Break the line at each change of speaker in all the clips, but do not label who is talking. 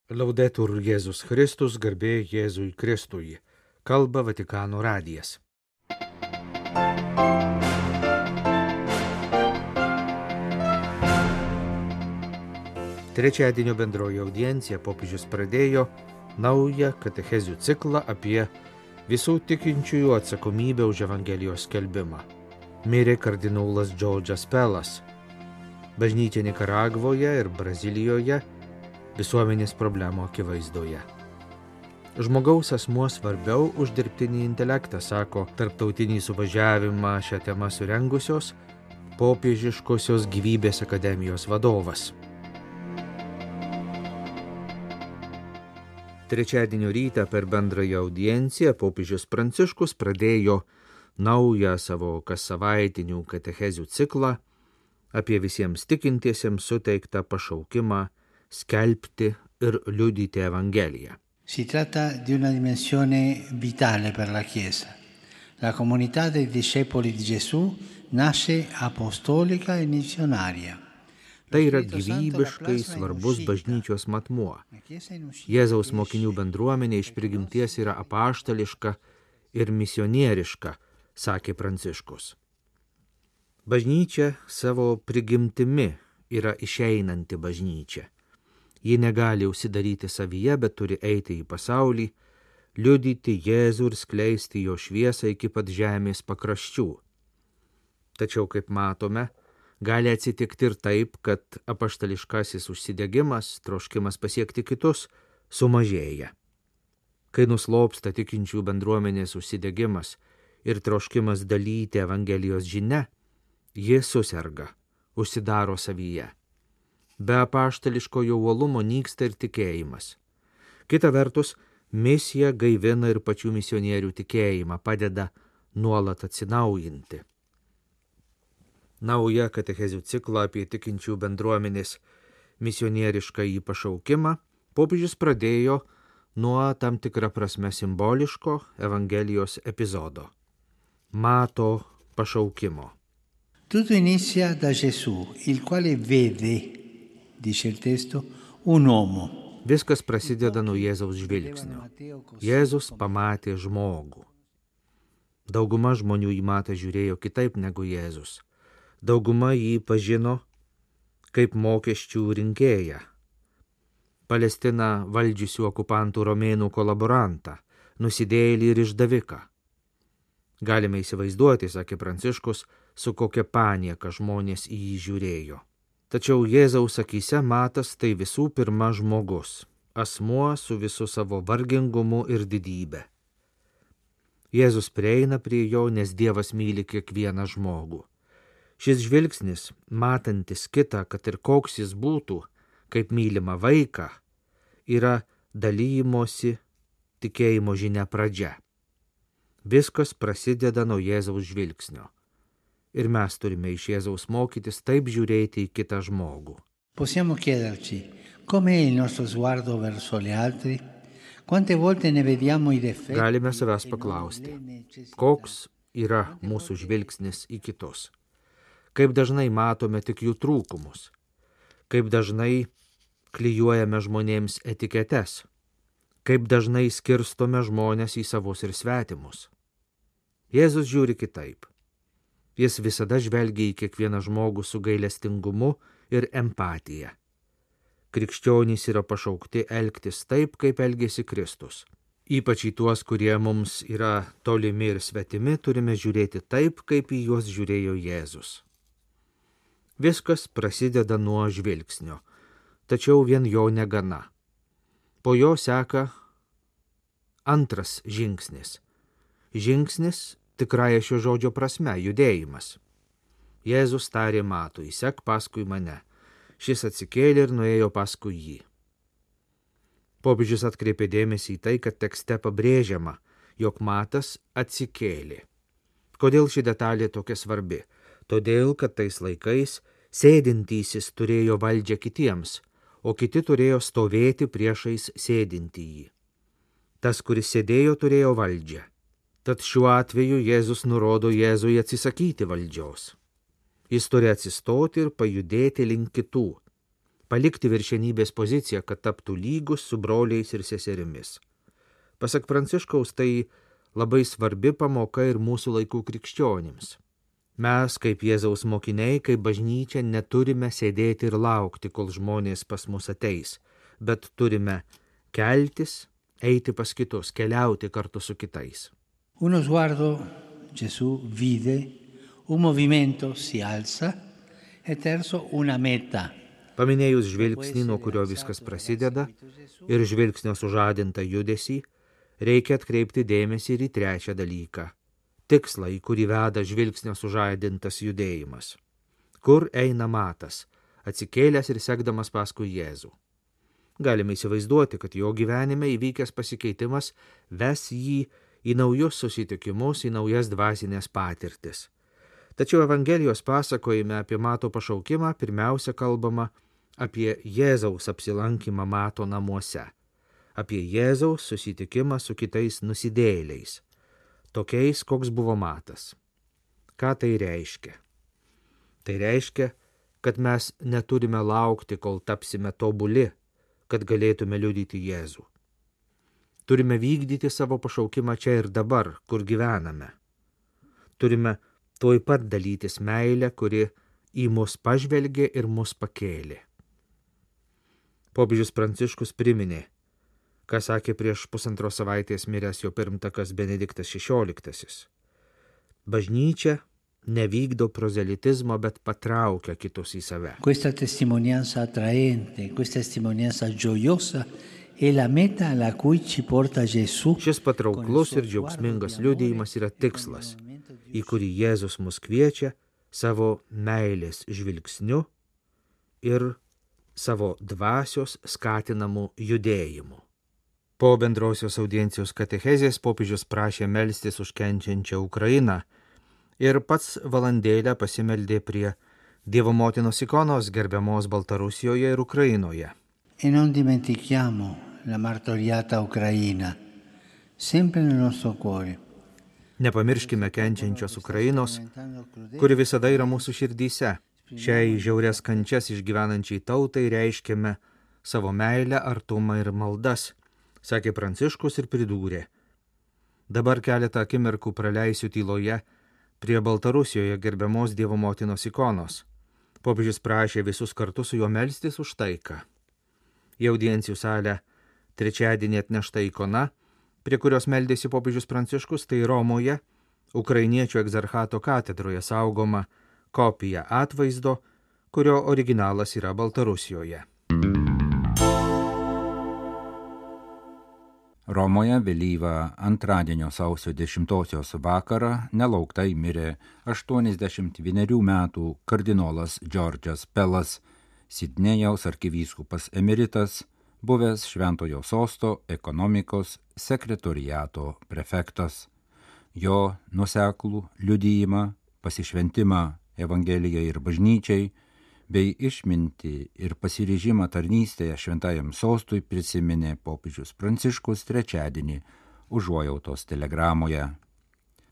Laudetur Jėzus Kristus, garbė Jėzui Kristui. Kalba Vatikano radijas. Trečiadienio bendroji audiencija popiežius pradėjo naują katechezių ciklą apie visų tikinčiųjų atsakomybę už Evangelijos skelbimą. Mirė kardinolas Džordžas Pelas. Bažnyčia Nikaragvoje ir Brazilijoje visuomenės problemų akivaizdoje. Žmogaus asmuo svarbiau už dirbtinį intelektą, sako tarptautinį suvažiavimą šią temą surengusios popiežiškosios gyvybės akademijos vadovas. Trečiadienio rytą per bendrąją audienciją popiežius Pranciškus pradėjo naują savo kassavaitinių katechezių ciklą apie visiems tikintiesiems suteiktą pašaukimą skelbti ir liudyti Evangeliją.
Si tratta di una dimensione vitale per la Chiesa. La comunità dei discepoli di Gesù nasce apostolica e missionaria.
Tai yra gyvybiškai svarbus bažnyčios matmuo. Jėzaus mokinių bendruomenė iš prigimties yra apaštališka ir misionieriška, sakė Pranciškus. Bažnyčia savo prigimtimi yra išeinanti bažnyčia. Ji negali užsidaryti savyje, bet turi eiti į pasaulį, liudyti Jėzų ir skleisti jo šviesą iki pat žemės pakraščių. Tačiau, kaip matome, gali atsitikti ir taip, kad apaštališkasis užsidegimas, troškimas pasiekti kitus, sumažėja. Kai nuslopsta tikinčių bendruomenės užsidegimas ir troškimas dalyti Evangelijos žinia, ji suserga, užsidaro savyje. Be apaštališkojo uolumo nyksta ir tikėjimas. Kita vertus, misija gaivina ir pačių misionierių tikėjimą, padeda nuolat atsinaujinti. Naują katechezių ciklą apie tikinčių bendruomenės misionierišką į pašaukimą popiežius pradėjo nuo tam tikrą prasme simboliško Evangelijos epizodo – Mato pašaukimo.
Tutto inizia da Gesù, il quale vede, dice il testo, un uomo.
Viskas prasideda nuo Jėzaus žvilgsnio. Jėzus pamatė žmogų. Dauguma žmonių jį matą žiūrėjo kitaip negu Jėzus. Dauguma jį pažino kaip mokesčių rinkėją, Palestiną valdžiusių okupantų romėnų kolaborantą, nusidėjėlį ir išdaviką. Galime įsivaizduoti, sakė Pranciškus, su kokia panieka žmonės į jį žiūrėjo. Tačiau Jėzaus akyse Matas tai visų pirma žmogus, asmuo su visu savo vargingumu ir didybė. Jėzus prieina prie jo, nes Dievas myli kiekvieną žmogų. Šis žvilgsnis, matantis kitą, kad ir koks jis būtų, kaip mylimą vaiką, yra dalymosi tikėjimo žinia pradžia. Viskas prasideda nuo Jėzaus žvilgsnio. Ir mes turime iš Jėzaus mokytis taip žiūrėti į kitą žmogų.
Possiamo chiederci, com'è il nostro sguardo verso gli altri? Quante volte ne vediamo i difetti?
Galime savęs paklausti, koks yra mūsų žvilgsnis į kitus? Kaip dažnai matome tik jų trūkumus? Kaip dažnai klijuojame žmonėms etiketes? Kaip dažnai skirstome žmonės į savus ir svetimus? Jėzus žiūri kitaip. Jis visada žvelgia į kiekvieną žmogų su gailestingumu ir empatija. Krikščionys yra pašaukti elgtis taip, kaip elgėsi Kristus. Ypač į tuos, kurie mums yra tolimi ir svetimi, turime žiūrėti taip, kaip į juos žiūrėjo Jėzus. Viskas prasideda nuo žvilgsnio, tačiau vien jo negana. Po jo seka antras žingsnis. Žingsnis tikrąja šio žodžio prasme, judėjimas. Jėzus tarė Matui, sek paskui mane. Šis atsikėlė ir nuėjo paskui jį. Popiežius atkreipė dėmesį į tai, kad tekste pabrėžiama, jog Matas atsikėlė. Kodėl ši detalė tokia svarbi? Todėl, kad tais laikais sėdintysis turėjo valdžią kitiems, o kiti turėjo stovėti priešais sėdintįjį. Tas, kuris sėdėjo, turėjo valdžią. Tad šiuo atveju Jėzus nurodo Jėzui atsisakyti valdžios. Jis turi atsistoti ir pajudėti link kitų, palikti viršenybės poziciją, kad taptų lygus su broliais ir seserimis. Pasak Pranciškaus, tai labai svarbi pamoka ir mūsų laikų krikščionims. Mes, kaip Jėzaus mokiniai, kaip bažnyčia, neturime sėdėti ir laukti, kol žmonės pas mus ateis, bet turime keltis, eiti pas kitus, keliauti kartu su kitais.
Uno sguardo Gesù vide, un movimento si alza e terzo una meta.
Paminėjus žvilgsnį, nuo kurio viskas prasideda, ir žvilgsnio sužadintą judesį, reikia atkreipti dėmesį ir į trečią dalyką – tikslą, į kurį veda žvilgsnio sužadintas judėjimas. Kur eina Matas, atsikėlęs ir sekdamas paskui Jėzų. Galime įsivaizduoti, kad jo gyvenime įvykęs pasikeitimas ves jį į naujus susitikimus, į naujas dvasinės patirtis. Tačiau Evangelijos pasakojime apie Mato pašaukimą pirmiausia kalbama apie Jėzaus apsilankymą Mato namuose, apie Jėzaus susitikimą su kitais nusidėjėliais, tokiais, koks buvo Matas. Ką tai reiškia? Tai reiškia, kad mes neturime laukti, kol tapsime tobuli, kad galėtume liudyti Jėzų. Turime vykdyti savo pašaukimą čia ir dabar, kur gyvename. Turime tuoj pat dalytis meilę, kuri į mus pažvelgė ir mus pakėlė. Popiežius Pranciškus priminė, ką sakė prieš 1,5 savaitės miręs jo pirmtakas Benediktas XVI. Bažnyčia nevykdo prozelitizmo, bet patraukia kitus į save.
Questa testimonianza attraente, questa testimonianza gioiosa è la meta alla cui ci porta Gesù.
Šis patrauklus ir džiaugsmingas liudijimas yra tikslas, į kurį Jėzus mus kviečia savo meilės žvilgsniu ir savo dvasios skatinamų judėjimų. Po bendrosios audiencijos katechezės popiežius prašė melstis už kenčiančią Ukrainą ir pats valandėlę pasimeldė prie Dievo motinos ikonos gerbiamos Baltarusijoje ir Ukrainoje.
E non dimentichiamo la martoriata Ucraina, sempre nel nostro cuore.
Nepamirškime kenčiančios Ukrainos, kuri visada yra mūsų širdyse. Šiai žiaurias kančias išgyvenančiai tautai reiškiame savo meilę, artumą ir maldas, sakė Pranciškus ir pridūrė. Dabar keletą akimirkų praleisiu tyloje prie Baltarusijoje gerbiamos Dievo motinos ikonos. Popiežius prašė visus kartu su juo melstis už taiką. Į audiencijų salę trečiadienį atnešta ikona, prie kurios meldėsi popiežius Pranciškus, tai Romoje, Ukrainiečių egzarchato katedroje saugoma kopija atvaizdo, kurio originalas yra Baltarusijoje.
Romoje vėlyvą antradienio sausio 10 vakarą nelauktai mirė 81 metų kardinolas Džordžas Pelas, Sidnėjaus arkivyskupas emeritas, buvęs Šventojo sosto ekonomikos sekretoriato prefektas. Jo nuoseklų liudijimą, pasišventimą Evangelijai ir bažnyčiai, bei išmintį ir pasiryžimą tarnystėje šventajam sostui prisiminė popiežius Pranciškus trečiadienį užuojautos telegramoje.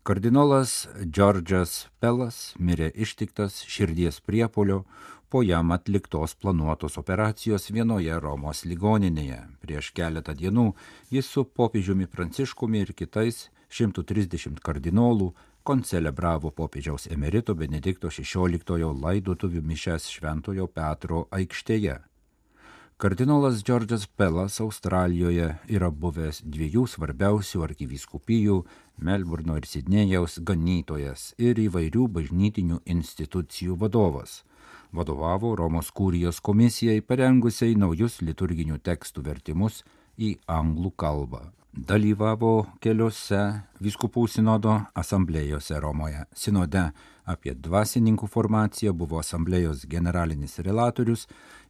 Kardinolas Džordžas Pelas mirė ištiktas širdies priepuolio po jam atliktos planuotos operacijos vienoje Romos ligoninėje. Prieš keletą dienų jis su popiežiumi Pranciškumi ir kitais 130 kardinolų koncelebravo popiežiaus emerito Benedikto XVI laidotuvių mišias Šventojo Petro aikštėje. Kardinolas Džordžas Pelas Australijoje yra buvęs 2 svarbiausių arkivyskupijų Melburno ir Sidnėjaus ganytojas ir įvairių bažnytinių institucijų vadovas. Vadovavo Romos kurijos komisijai parengusiai naujus liturginių tekstų vertimus į anglų kalbą. Dalyvavo keliose vyskupų sinodo asamblėjose Romoje. Sinode apie dvasininkų formaciją buvo asamblėjos generalinis relatorius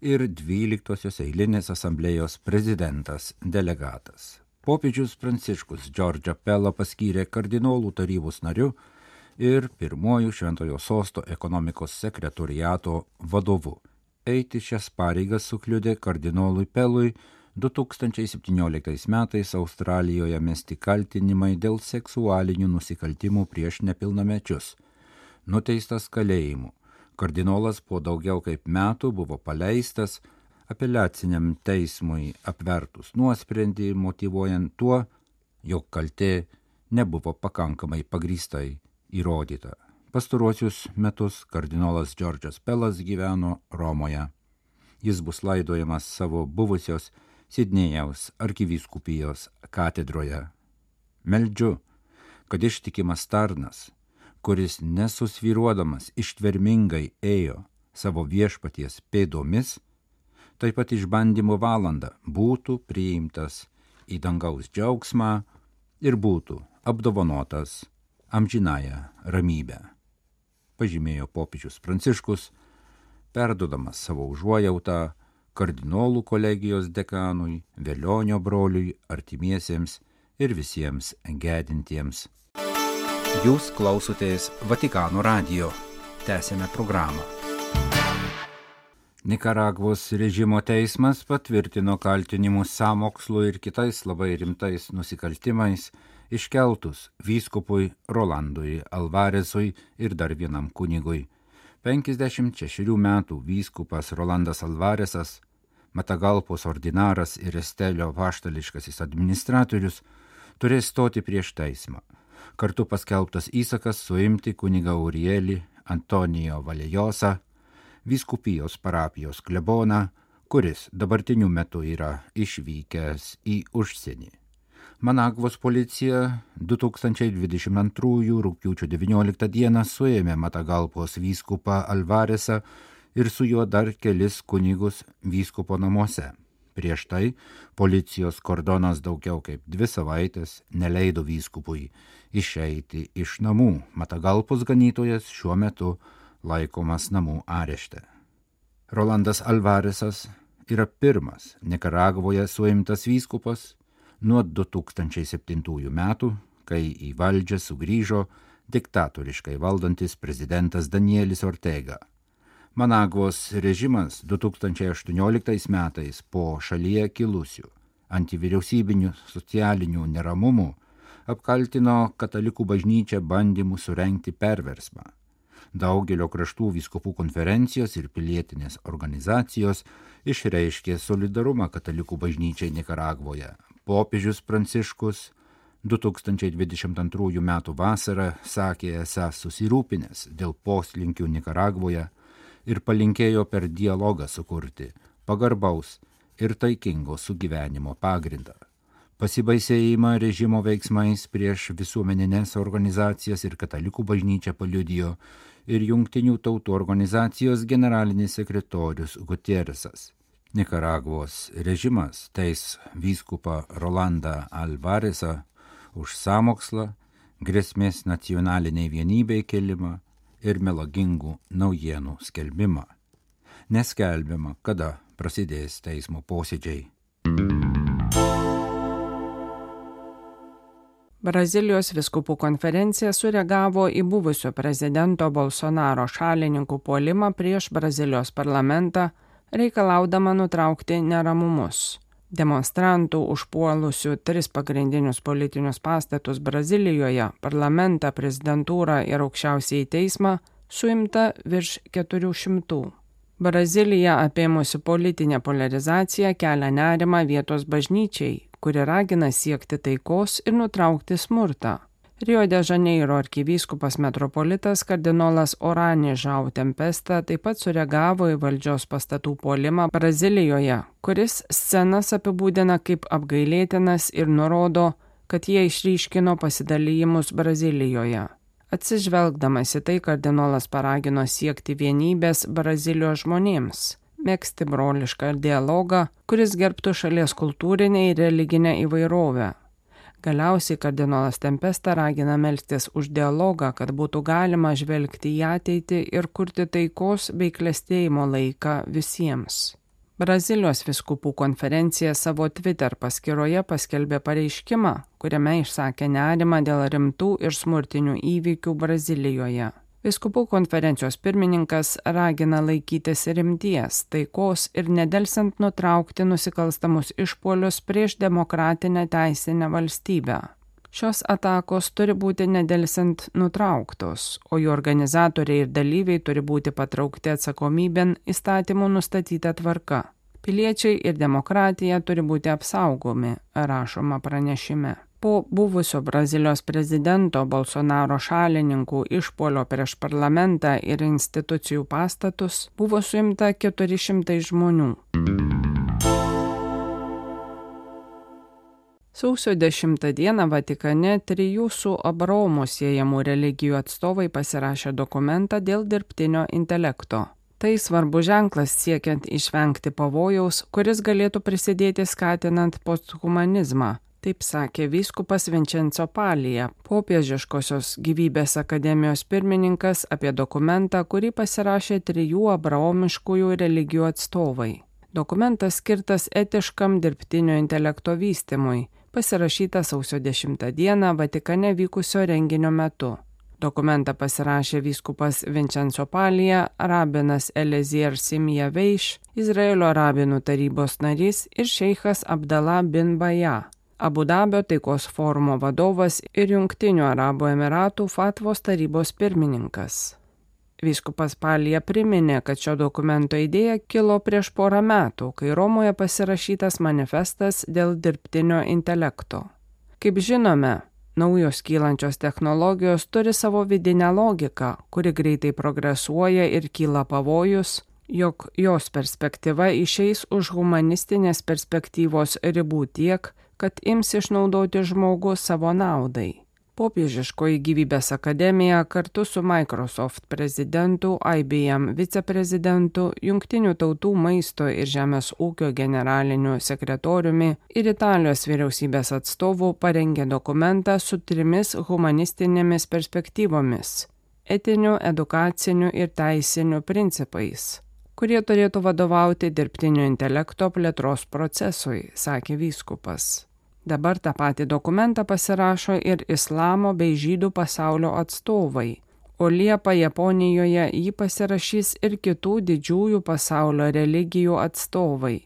ir 12-osios eilinės asamblėjos prezidentas delegatas. Popiežius Pranciškus Džordžą Pelą paskyrė kardinolų tarybos nariu ir pirmuoju Šventojo sosto ekonomikos sekretoriato vadovu. Eiti šias pareigas sukliudė kardinolui Pelui 2017 metais Australijoje mesti kaltinimai dėl seksualinių nusikaltimų prieš nepilnamečius. Nuteistas kalėjimu, kardinolas po daugiau kaip metų buvo paleistas, apeliaciniam teismui apvertus nuosprendį, motyvuojant tuo, jog kaltė nebuvo pakankamai pagrįstai įrodyta. Pastaruosius metus kardinolas Džordžas Pelas gyveno Romoje. Jis bus laidojamas savo buvusios Sidnėjaus arkivyskupijos katedroje. Meldžiu, kad ištikimas tarnas, kuris nesusvyruodamas ištvermingai ėjo savo viešpaties pėdomis, taip pat išbandymo valandą būtų priimtas į dangaus džiaugsmą ir būtų apdovanotas amžinąją ramybę, pažymėjo popiežius Pranciškus, perduodamas savo užuojautą kardinolų kolegijos dekanui, Velionio broliui, artimiesiems ir visiems gedintiems. Jūs klausotės Vatikano radijo. Tęsėme programą. Nikaragvos režimo teismas patvirtino kaltinimus sąmokslu ir kitais labai rimtais nusikaltimais iškeltus vyskupui Rolandui Alvaresui ir dar vienam kunigui. 56 metų vyskupas Rolandas Alvaresas, Matagalpos ordinaras ir Estelio apaštališkasis administratorius turės stoti prieš teismą. Kartu paskelbtas įsakas suimti kunigą Urielį Antonijo Valejosą, vyskupijos parapijos kleboną, kuris dabartiniu metu yra išvykęs į užsienį. Managvos policija 2022 rugpjūčio 19 dieną suėmė Matagalpos vyskupą Alvaresą ir su juo dar kelis kunigus vyskupo namuose. Prieš tai policijos kordonas daugiau kaip 2 savaitės neleido vyskupui išeiti iš namų. Matagalpos ganytojas šiuo metu laikomas namų arešte. Rolandas Alvaresas yra pirmas Nikaragvoje suimtas vyskupas nuo 2007 metų, kai į valdžią sugrįžo diktatoriškai valdantis prezidentas Danielis Ortega. Managvos režimas 2018 metais po šalyje kilusių antivyriausybinių socialinių neramumų apkaltino katalikų bažnyčią bandymu surengti perversmą. Daugelio kraštų vyskupų konferencijos ir pilietinės organizacijos išreiškė solidarumą katalikų bažnyčiai Nikaragvoje. Popiežius Pranciškus 2022 m. vasarą sakė esąs susirūpinęs dėl poslinkių Nikaragvoje ir palinkėjo per dialogą sukurti pagarbaus ir taikingo sugyvenimo pagrindą. Pasibaisėjimą režimo veiksmais prieš visuomeninės organizacijas ir katalikų bažnyčią paliudijo ir Jungtinių tautų organizacijos generalinis sekretorius Gutierresas. Nikaragvos režimas teis vyskupą Rolandą Alvaresą už sąmokslą, grėsmės nacionaliniai vienybei kelimą ir melagingų naujienų skelbimą. Neskelbiama, kada prasidės teismo posėdžiai.
Brazilijos vyskupų konferencija sureagavo į buvusio prezidento Bolsonaro šalininkų puolimą prieš Brazilijos parlamentą, reikalaudama nutraukti neramumus. Demonstrantų užpuolusių 3 pagrindinius politinius pastatus Brazilijoje, parlamentą, prezidentūrą ir aukščiausiąjį teismą suimta virš 400. Brazilija apėmusi politinę polarizaciją kelia nerimą vietos bažnyčiai, kuri ragina siekti taikos ir nutraukti smurtą. Rio de Žaneiro arkivyskupas metropolitas kardinolas Orani Žau Tempesta taip pat sureagavo į valdžios pastatų puolimą Brazilijoje, kuris scenas apibūdina kaip apgailėtinas ir nurodo, kad jie išryškino pasidalymus Brazilijoje. Atsižvelgdamas į tai, kardinolas paragino siekti vienybės Brazilijos žmonėms, megzti brolišką dialogą, kuris gerbtų šalies kultūrinę ir religinę įvairovę. Galiausiai kardinolas Tempesta ragina melstis už dialogą, kad būtų galima žvelgti į ateitį ir kurti taikos bei klestėjimo laiką visiems. Brazilijos vyskupų konferencija savo Twitter paskyroje paskelbė pareiškimą, kuriame išsakė nerimą dėl rimtų ir smurtinių įvykių Brazilijoje. Vyskupų konferencijos pirmininkas ragina laikytis rimties, taikos ir nedelsiant nutraukti nusikalstamus išpuolius prieš demokratinę teisinę valstybę. Šios atakos turi būti nedelsiant nutrauktos, o jų organizatoriai ir dalyviai turi būti patraukti atsakomybėn įstatymų nustatyta tvarka. Piliečiai ir demokratija turi būti apsaugomi, rašoma pranešime. Po buvusio Brazilijos prezidento Bolsonaro šalininkų išpuolio prieš parlamentą ir institucijų pastatus buvo suimta 400 žmonių. Sausio 10 dieną Vatikane 3 su Abraomu siejamų religijų atstovai pasirašė dokumentą dėl dirbtinio intelekto. Tai svarbus ženklas siekiant išvengti pavojaus, kuris galėtų prisidėti skatinant posthumanizmą. Taip sakė vyskupas Vincenzo Palija, popiežiškosios gyvybės akademijos pirmininkas apie dokumentą, kurį pasirašė 3 abraomiškųjų religijų atstovai. Dokumentas skirtas etiškam dirbtinio intelekto vystymui, pasirašytas sausio 10 dieną Vatikane vykusio renginio metu. Dokumentą pasirašė vyskupas Vincenzo Palija, rabinas Eliezer Simija Veiš, Izraelio rabinų tarybos narys ir šeichas Abdallah bin Baja, Abu Dabio taikos forumo vadovas ir Jungtinių Arabų Emiratų Fatvos tarybos pirmininkas. Vyskupas Palija priminė, kad šio dokumento idėja kilo prieš porą metų, kai Romoje pasirašytas manifestas dėl dirbtinio intelekto. Kaip žinome, naujos kylančios technologijos turi savo vidinę logiką, kuri greitai progresuoja ir kyla pavojus, jog jos perspektyva išeis už humanistinės perspektyvos ribų tiek, kad ims išnaudoti žmogų savo naudai. Popiežiškoji gyvybės akademija kartu su Microsoft prezidentu, IBM viceprezidentu, Jungtinių tautų maisto ir žemės ūkio generaliniu sekretoriumi ir Italijos vyriausybės atstovu parengė dokumentą su 3 humanistinėmis perspektyvomis – etiniu, edukaciniu ir teisiniu principais, kurie turėtų vadovauti dirbtinio intelekto plėtros procesui, sakė vyskupas. Dabar tą patį dokumentą pasirašo ir islamo bei žydų pasaulio atstovai, o Liepą Japonijoje jį pasirašys ir kitų didžiųjų pasaulio religijų atstovai.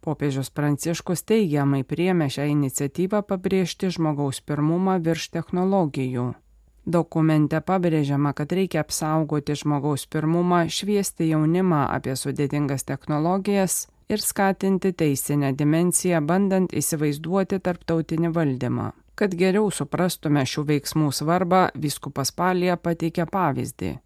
Popiežius Pranciškus teigiamai priėmė šią iniciatyvą pabrėžti žmogaus pirmumą virš technologijų. Dokumente pabrėžiama, kad reikia apsaugoti žmogaus pirmumą, šviesti jaunimą apie sudėtingas technologijas ir skatinti teisinę dimensiją, bandant įsivaizduoti tarptautinį valdymą. Kad geriau suprastume šių veiksmų svarbą, vyskupas Palija pateikė pavyzdį.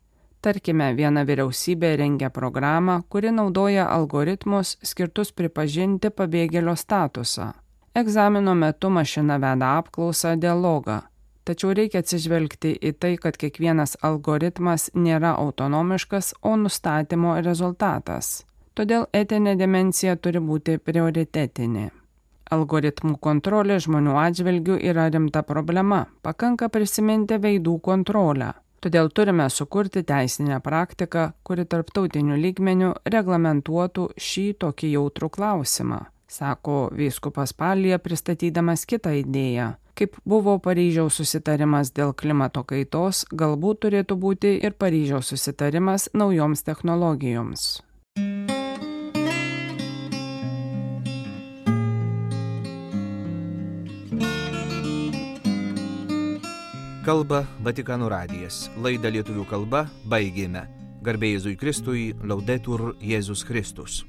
Tarkime, viena vyriausybė rengia programą, kuri naudoja algoritmus skirtus pripažinti pabėgėlio statusą. Egzamino metu mašina veda apklausą, dialogą. Tačiau reikia atsižvelgti į tai, kad kiekvienas algoritmas nėra autonomiškas, o nustatymo rezultatas. Todėl etinė dimensija turi būti prioritetinė. Algoritmų kontrolė žmonių atžvilgių yra rimta problema, pakanka prisiminti veidų kontrolę. Todėl turime sukurti teisinę praktiką, kuri tarptautiniu lygmeniu reglamentuotų šį tokį jautrų klausimą, sako vyskupas Palija pristatydamas kitą idėją. Kaip buvo Paryžiaus susitarimas dėl klimato kaitos, galbūt turėtų būti ir Paryžiaus susitarimas naujoms technologijoms.
Kalba Vatikano radijas. Laidą lietuvių kalba baigėme. Garbė Jėzui Kristui, Laudetur Jėzus Kristus.